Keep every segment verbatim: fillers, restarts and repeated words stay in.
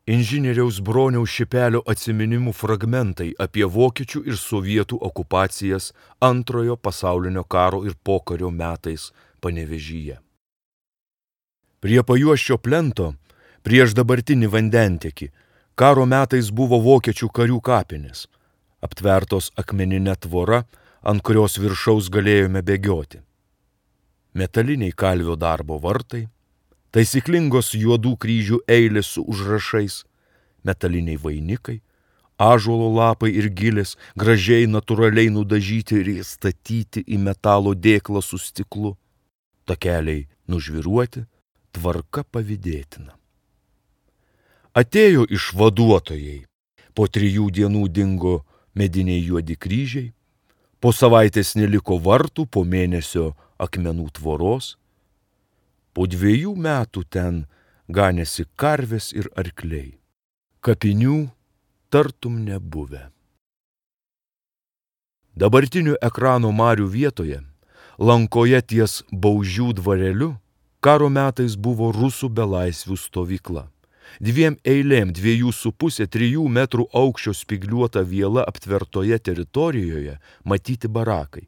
Inžinieriaus Broniaus Šipelio atsiminimų fragmentai apie vokiečių ir sovietų okupacijas Antrojo pasaulinio karo ir pokario metais Panevėžyje. Prie Pajuosčio plento, prieš dabartinį vandentekį, karo metais buvo vokiečių karių kapinės, aptvertos akmeninė tvora, ant kurios viršaus galėjome bėgioti. Metaliniai kalvio darbo vartai, taisyklingos juodų kryžių eilės su užrašais, metaliniai vainikai, ąžuolo lapai ir gilės, gražiai natūraliai nudažyti ir įstatyti į metalo dėklą su stiklu, takeliai nužviruoti, tvarka pavydėtina. Atėjo išvaduotojai, po trijų dienų dingo mediniai juodi kryžiai, po savaitės neliko vartų, po mėnesio akmenų tvoros, po dviejų metų ten ganėsi karvės ir arkliai. Kapinių tartum nebuvę. Dabartinių ekrano marių vietoje, lankoje ties Baužių dvareliu, karo metais buvo rusų belaisvių stovykla. Dviem eilėm dviejų su pusė trijų metrų aukščio spigliuota viela aptvertoje teritorijoje matyti barakai.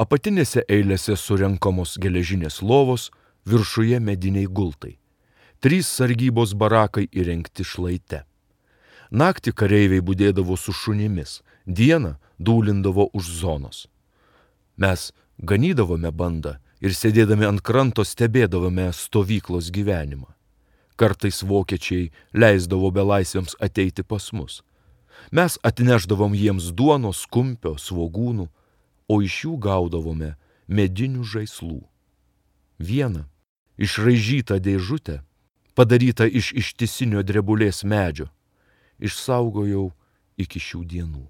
Apatinėse eilėse surenkamos geležinės lovos, viršuje mediniai gultai. Trys sargybos barakai įrengti šlaite. Naktį kareiviai budėdavo su šunimis, dieną dūlindavo už zonos. Mes ganydavome bandą ir sėdėdami ant kranto stebėdavome stovyklos gyvenimą. Kartais vokiečiai leisdavo belaisviams ateiti pas mus. Mes atnešdavom jiems duonos, kumpio, svogūnų, o iš jų gaudavome medinių žaislų. Vieną išraižytą dėžutę, padarytą iš ištisinio drebulės medžio, išsaugojau iki šių dienų.